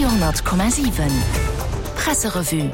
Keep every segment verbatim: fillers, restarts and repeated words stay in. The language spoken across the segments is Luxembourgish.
Radio honnert Komma siwen Presserevue.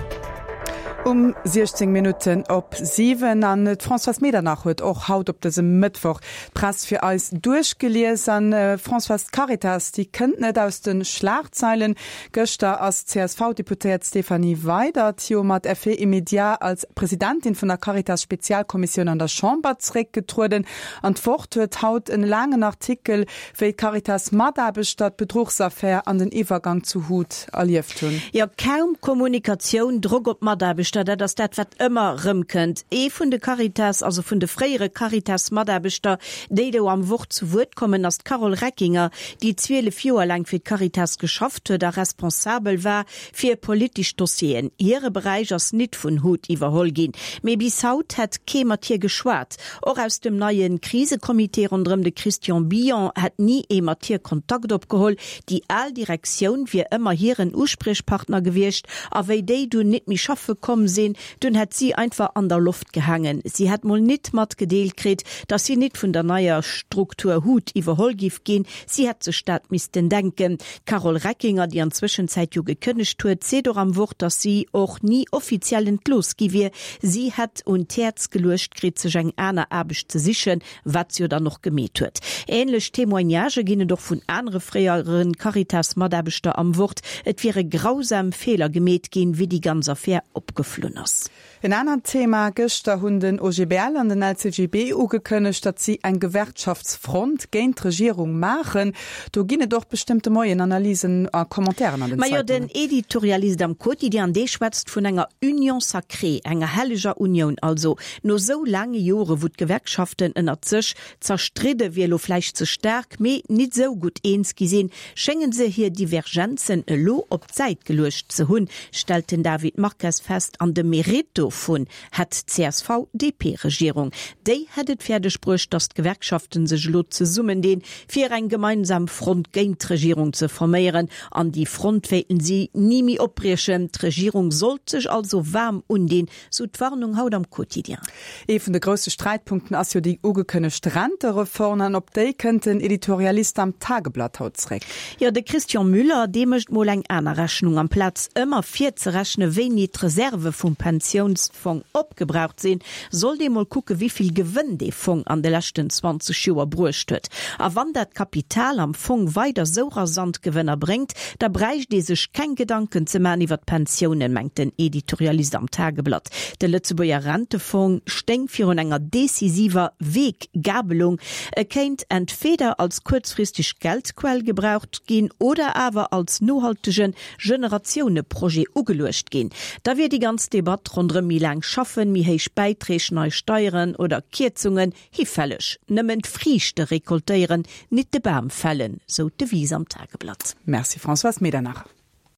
Um siechzéng Minutten op siwen an d'Françoise Medernach huet och haut op dësem Mëttwoch d'Press fir eis duerchgelies. An Françoise, d'Caritas, déi kënnt net aus de Schlagzeilen. Gëschter ass d'C S V-Deputéiert Stéphanie Weydert jo mat Effet immédiat als Presidentin vun der Caritas-Spezialkommissioun an der Chamber zeréckgetrueden. An d'Wort huet haut en laangen Artikel, wéi d'Caritas-Mataarbechter d'Bedruchsaffär an den Iwwergang zu Huth erlieft hunn. Jo, kaum Kommunikatioun, Drock op d'Mataarbechter, dat ass dat, wat ëmmer rëmkënnt. Ee vun de Caritas, also vun de fréiere Caritas-Mataarbechter, déi do am Wort zu Wuert kommen, ass d'Carole Reckinger, déi zwielef Joer laang fir d'Caritas geschafft huet a responsabel war fir politesch Dossieren. Hire Beräich ass nit vun Huth iwwerholl ginn, mee bis haut hätt kee mat hir geschwat. Och aus dem neie Krisecomité ronderëm de Christian Billon hätt ni ee mat hir Kontakt opgeholl. Déi al Direktioun wier ëmmer hiren Uspriechpartner gewiescht a wéi déi dunn nit méi schaffe komm sinn, dunn hätt si einfach an der Loft gehaangen. Si hätt mol nit matgedeelt kritt, datt si nit vun der neier Struktur Huth iwwerholl giff ginn, si hätt sech dat missten denken. D'Carole Reckinger, déi an Zwëschenzäit jo gekënnegt huet, seet och am Wort, datt si och ni offiziell entlooss gi wier. Si hätt un d'Häerz geluecht kritt, sech eng aner Aarbecht ze sichen, wat se jo dann och gemeet huet. Änlech Témoignagë ginn et och vun anere fréiere Caritas-Mataarbechter am Wort. Et wiere grausam Feeler gemeet ginn, wéi déi ganz Affär opgeflunn ass. En anert Thema, Gëschter hunn den O G B L an den L C G B ugekënnegt, datt si eng Gewerkschaftsfront géint d'Regierung maachen. Do ginn et och bestëmmt de Moien Analysen a Commentairen an den Majo, den Zeitungen. Editorialist am Quotidien, dee schwätzt vun enger Union sacrée, enger helleger Unioun also. No sou laange Jore wou d'Gewerkschaften ënnert sech zerstridde wier elo vläicht ze staark, mee nit sou gutt eens gi sinn, schéngen se hir Divergenzen elo op d'Säit geluecht ze hunn, stellt den David Marques fest. An de Mérite dovun hätt d'C S V D P-Regierung. Déi hätt et fäerdeg bruecht, datt d'Gewerkschaften sech elo zesummendinn, fir eng gemeinsam Front géint d'Regierung ze forméieren. An déi Front wéilten si ni méi opbriechen. D'Regierung sollt sech also waarm undinn, sou d'Warnung haut am Quotidien. Ee vun de grousse Sträitpunkten ass jo déi ugekënnegt Rentereform an op déi kënnt den Editorialist am Tageblatt haut zréck. Jo, de Christian Müller, dee mécht mol eng aner Rechnung. Amplaz ëmmer virzerechne wéini d'Reserve vum Pensiounsfong opgebraucht sinn, sollt ee mol kucke wéivill Gewënn dee Fong an de leschten zwanzeg Joer bruecht huet. A wann dat Kapital am Fong weider sou rasant Gewënner bréngt, da bräicht ee sech keng Gedanken ze man iwwer d'Pensiounen, mengt den Editorialist am Tageblatt. De Lëtzebuerger Rentefong stéing virun enger decisiver Weggabelung. E kéint entweder als kuerzfristeg Geldquell gebraucht ginn oder awer als nohaltege Generatiouneprojet ugeluecht ginn. Da wier déi ganz Debatt ronderëm méi laang schaffen, méi héich Bäiträg, nei Steieren oder Kierzungen hifälleg. Nëmmen d'Friichte rekoltéieren, nit de Bam fällen, sou d'Devise am Tageblatt. Merci Françoise Medernach.